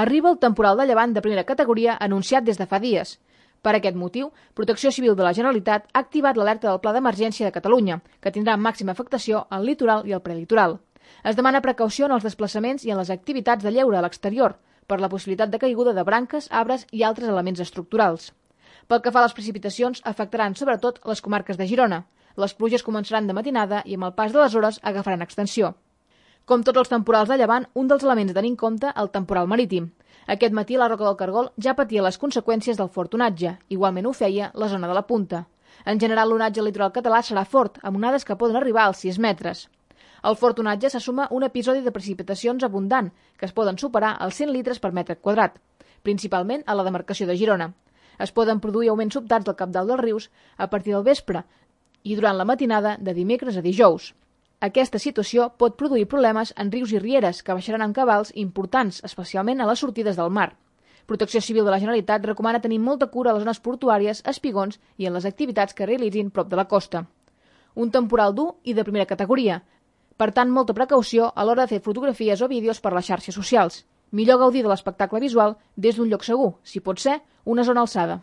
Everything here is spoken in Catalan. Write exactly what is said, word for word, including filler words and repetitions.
Arriba el temporal de llevant de primera categoria anunciat des de fa dies. Per aquest motiu, Protecció Civil de la Generalitat ha activat l'alerta del Pla d'Emergència de Catalunya, que tindrà màxima afectació al litoral i al prelitoral. Es demana precaució en els desplaçaments i en les activitats de lleure a l'exterior, per la possibilitat de caiguda de branques, arbres i altres elements estructurals. Pel que fa a les precipitacions, afectaran sobretot les comarques de Girona. Les pluges començaran de matinada i amb el pas de les hores agafaran extensió. Com tots els temporals de llevant, un dels elements a tenir en compte el temporal marítim. Aquest matí la Roca del Cargol ja patia les conseqüències del fort onatge, igualment ho feia la zona de la Punta. En general, l'onatge al litoral català serà fort, amb onades que poden arribar als sis metres. Al fort onatge se suma un episodi de precipitacions abundant, que es poden superar els cent litres per metre quadrat, principalment a la demarcació de Girona. Es poden produir augments sobtats del cabdal dels rius a partir del vespre i durant la matinada de dimecres a dijous. Aquesta situació pot produir problemes en rius i rieres que baixaran amb cabals importants, especialment a les sortides del mar. Protecció Civil de la Generalitat recomana tenir molta cura a les zones portuàries, espigons i en les activitats que realitzin prop de la costa. Un temporal dur i de primera categoria. Per tant, molta precaució a l'hora de fer fotografies o vídeos per les xarxes socials. Millor gaudir de l'espectacle visual des d'un lloc segur, si pot ser, una zona alçada.